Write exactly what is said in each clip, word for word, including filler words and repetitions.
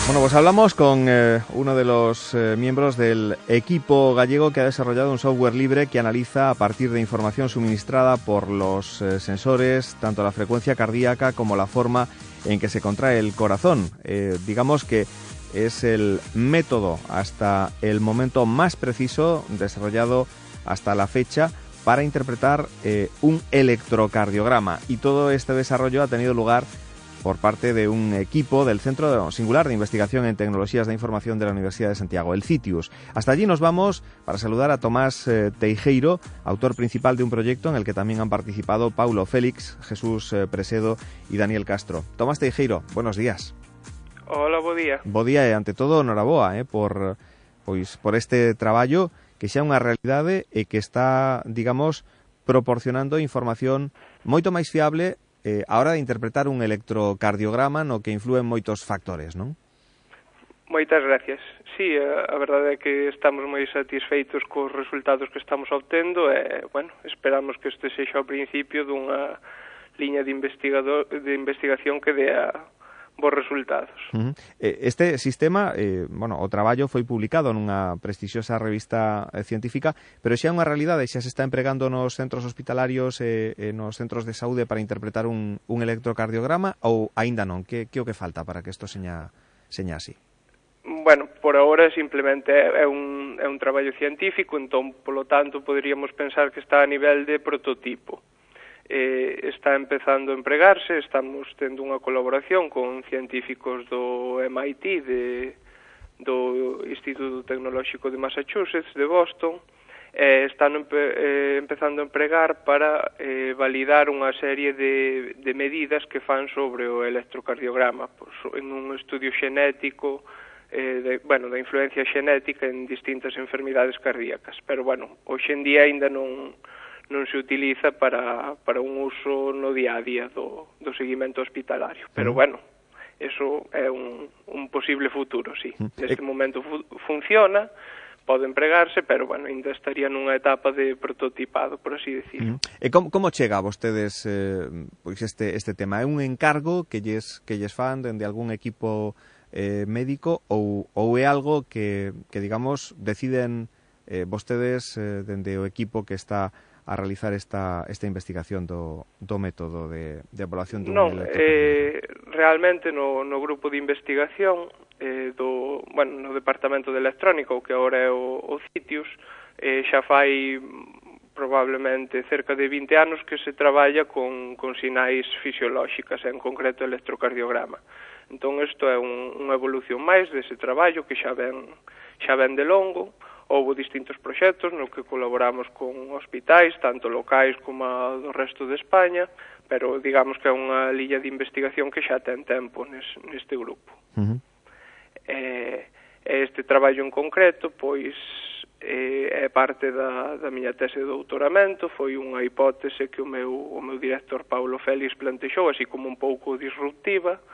Bueno, pues hablamos con eh, uno de los eh, miembros del equipo gallego que ha desarrollado un software libre que analiza a partir de información suministrada por los eh, sensores tanto la frecuencia cardíaca como la forma en que se contrae el corazón. Eh, digamos que es el método hasta el momento más preciso desarrollado hasta la fecha para interpretar eh, un electrocardiograma, y todo este desarrollo ha tenido lugar por parte de un equipo del Centro Singular de Investigación en Tecnologías de Información de la Universidad de Santiago, el CITIUS. Hasta allí nos vamos para saludar a Tomás eh, Teijeiro, autor principal de un proyecto en el que también han participado Paulo Félix, Jesús eh, Presedo y Daniel Castro. Tomás Teijeiro, buenos días. Hola, bo día. Bo día e, ante todo, noraboa eh, por, pois, por este traballo que xa é unha realidade e que está, digamos, proporcionando información moito máis fiable Eh, a hora de interpretar un electrocardiograma no que influen moitos factores, non? Moitas gracias. Sí, a, a verdade é que estamos moi satisfeitos cos resultados que estamos obtendo e, bueno, esperamos que este sexa o principio dunha liña de investigador de investigación que dea bons resultados. Uh-huh. Este sistema, eh, bueno, o traballo foi publicado nunha prestixiosa revista científica, pero xa é unha realidade, xa se está empregando nos centros hospitalarios e eh, nos centros de saúde para interpretar un, un electrocardiograma, ou aínda non? Que, que o que falta para que isto seña, seña así? Bueno, por agora simplemente é un, é un traballo científico, entón, polo tanto, poderíamos pensar que está a nivel de prototipo. Eh, está empezando a empregarse, estamos tendo unha colaboración con científicos do M I T, de, do Instituto Tecnolóxico de Massachusetts, de Boston, e eh, están empe, eh, empezando a empregar para eh, validar unha serie de, de medidas que fan sobre o electrocardiograma, pues, en un estudio xenético, eh, de, bueno, da influencia xenética en distintas enfermidades cardíacas, pero, bueno, hoxe en día ainda non non se utiliza para, para un uso no día a día do, do seguimento hospitalario. Pero, bueno, eso é un, un posible futuro, sí. Neste momento fu funciona, pode empregarse, pero, bueno, ainda estaría nunha etapa de prototipado, por así decirlo. E como, como chega a vostedes eh, pois este, este tema? É un encargo que lles, que lles fan dende algún equipo eh, médico ou, ou é algo que, que digamos, deciden eh, vostedes eh, dende o equipo que está a realizar esta, esta investigación do, do método de, de evaluación dun non, electrocardiograma? Eh, realmente no, no grupo de investigación eh, do, bueno, no Departamento de Electrónica, o que agora é o, o CITIUS, eh, xa fai probablemente cerca de vinte anos que se traballa con, con sinais fisiolóxicas, en concreto electrocardiograma. Entón, isto é un, unha evolución máis dese traballo que xa ven, xa ven de longo. Houve distintos proxectos no que colaboramos con hospitais, tanto locais como do resto de España, pero digamos que é unha liña de investigación que xa ten tempo nes, neste grupo. Uh-huh. E este traballo en concreto, pois, é, é parte da, da miña tese de doutoramento, foi unha hipótese que o meu, o meu director Paulo Félix plantexou, así como un pouco disruptiva.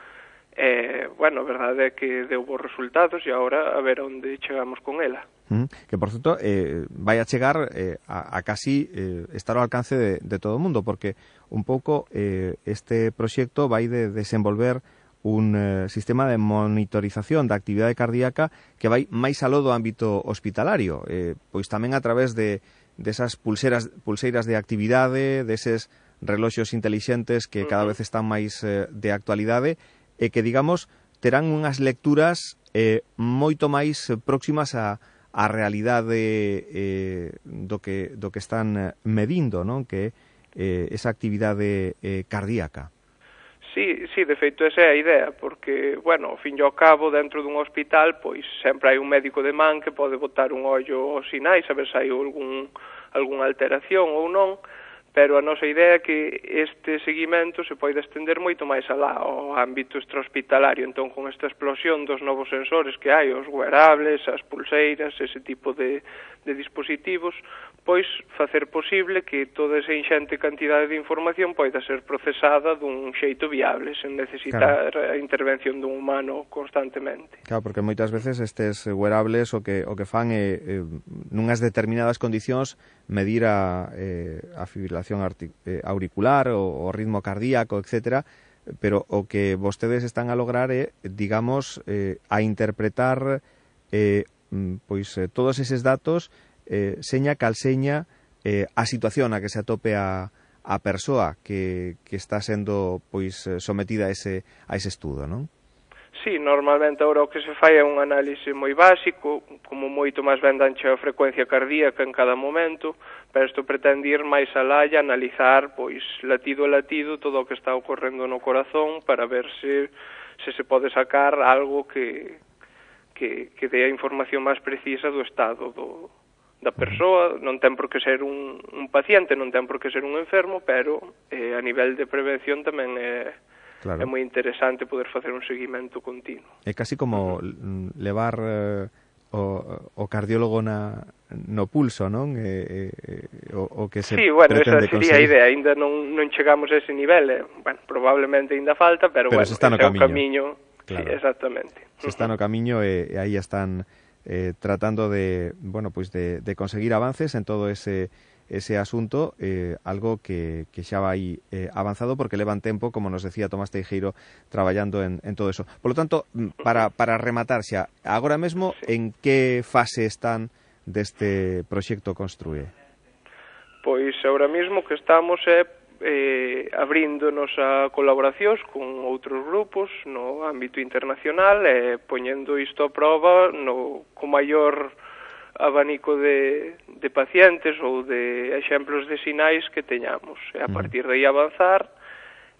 E, bueno, a verdade é que deu bons resultados e agora a ver onde chegamos con ela. Mm, que, por certo, eh, vai a chegar eh, a, a casi eh, estar ao alcance de, de todo o mundo, porque un pouco eh, este proxecto vai de desenvolver un eh, sistema de monitorización da actividade cardíaca que vai máis aló do ámbito hospitalario, eh, pois tamén a través de desas pulseras, pulseiras de actividade, deses reloxos intelixentes que cada vez están máis eh, de actualidade, e que, digamos, terán unhas lecturas eh, moito máis próximas a, a realidade eh, do, que, do que están medindo, non? Que é eh, esa actividade eh, cardíaca. Sí, sí, de feito esa é a idea, porque, bueno, ao fin e ao cabo, dentro dun hospital, pois sempre hai un médico de man que pode botar un ollo aos sinais, a ver se hai algún, algunha alteración ou non, pero a nosa idea é que este seguimento se pode estender moito máis alá ao ámbito extrahospitalario. Entón, con esta explosión dos novos sensores que hai, os wearables, as pulseiras, ese tipo de, de dispositivos, pois facer posible que toda esa inxente cantidade de información poida ser procesada dun xeito viable, sen necesitar claro. a intervención dun humano constantemente. Claro, porque moitas veces estes wearables o que, o que fan é, eh, nunhas determinadas condicións, medir a, eh, a fibrilación auricular, o, o ritmo cardíaco, etcétera, pero o que vostedes están a lograr é, digamos, eh, a interpretar eh, pois eh, todos eses datos eh, seña cal seña eh, a situación a que se atope a, a persoa que, que está sendo pois sometida a ese, a ese estudo, non? Sí, normalmente agora o que se fai é un análise moi básico, como moito máis ben danche a frecuencia cardíaca en cada momento, pero isto pretende ir máis alá e analizar, pois, latido a latido todo o que está ocorrendo no corazón para ver se, se se pode sacar algo que, que, que dé a información máis precisa do estado do, da persoa. Non ten por que ser un, un paciente, non ten por que ser un enfermo, pero eh, a nivel de prevención tamén é... Claro. É moi interesante poder facer un seguimento continuo. É casi como uh-huh. levar eh, o, o cardiólogo na, no pulso, non? Eh, eh, o, o que se sí, bueno, pretende esa sería conseguir. A idea. Ainda non, non chegamos a ese nivel. Eh. Bueno, probablemente ainda falta, pero, pero bueno, ese está no ese camiño. é o camiño. Claro. Sí, exactamente. Se está no camiño e, e aí están eh, tratando de, bueno, pues de, de conseguir avances en todo ese ese asunto, eh, algo que, que xa vai eh, avanzado porque levan tempo, como nos decía Tomás Teijeiro, traballando en, en todo eso. Por lo tanto, para, para rematar xa, agora mesmo, sí. En que fase están deste proxecto Construe? Pois agora mesmo que estamos é eh, abríndonos a colaboracións con outros grupos no ámbito internacional e poñendo isto a prova no, co maior abanico de, de pacientes ou de exemplos de sinais que teñamos. E a partir de aí avanzar,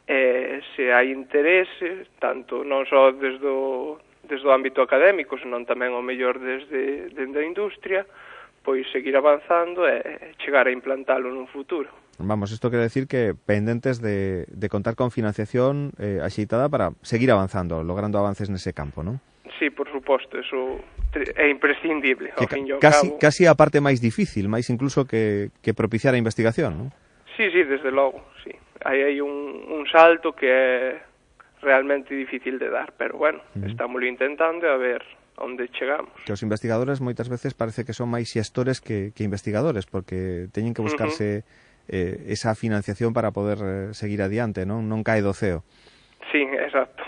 eh, se hai interese, tanto non só desde o, desde o ámbito académico, senón tamén o mellor desde, desde a industria, pois seguir avanzando e chegar a implantalo nun futuro. Vamos, isto quere decir que pendentes de, de contar con financiación eh, axeitada para seguir avanzando, logrando avances nese campo, non? Sí, por suposto, eso é imprescindible, ao que fin e ao casi, cabo. Casi a parte máis difícil, máis incluso que, que propiciar a investigación, non? Sí, sí, desde logo, sí. Aí hai un, un salto que é realmente difícil de dar, pero bueno, uh-huh. Estámoslo intentando e a ver onde chegamos. Que os investigadores moitas veces parece que son máis xestores que, que investigadores, porque teñen que buscarse uh-huh. eh, esa financiación para poder eh, seguir adiante, non? Non cae do ceo. Sí, exacto.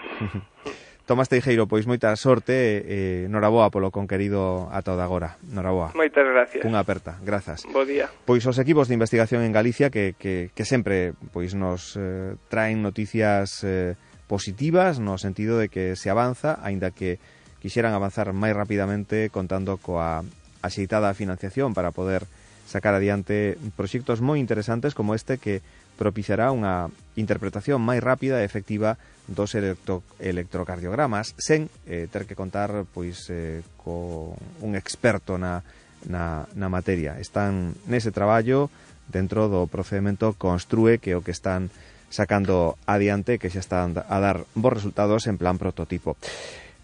Tomás Teijeiro, pois moita sorte e eh, noraboa polo conquerido ata o de agora. Noraboa. Moitas gracias. Unha aperta, grazas. Bo día. Pois os equipos de investigación en Galicia que, que, que sempre pois nos eh, traen noticias eh, positivas no sentido de que se avanza, aínda que quixeran avanzar máis rapidamente contando coa axeitada financiación para poder sacar adiante proxectos moi interesantes como este que propiciará unha interpretación máis rápida e efectiva dos electro, electrocardiogramas sen eh, ter que contar pois eh, con un experto na, na, na materia. Están nese traballo dentro do procedimento Construe, que é o que están sacando adiante, que xa están a dar bons resultados en plan prototipo.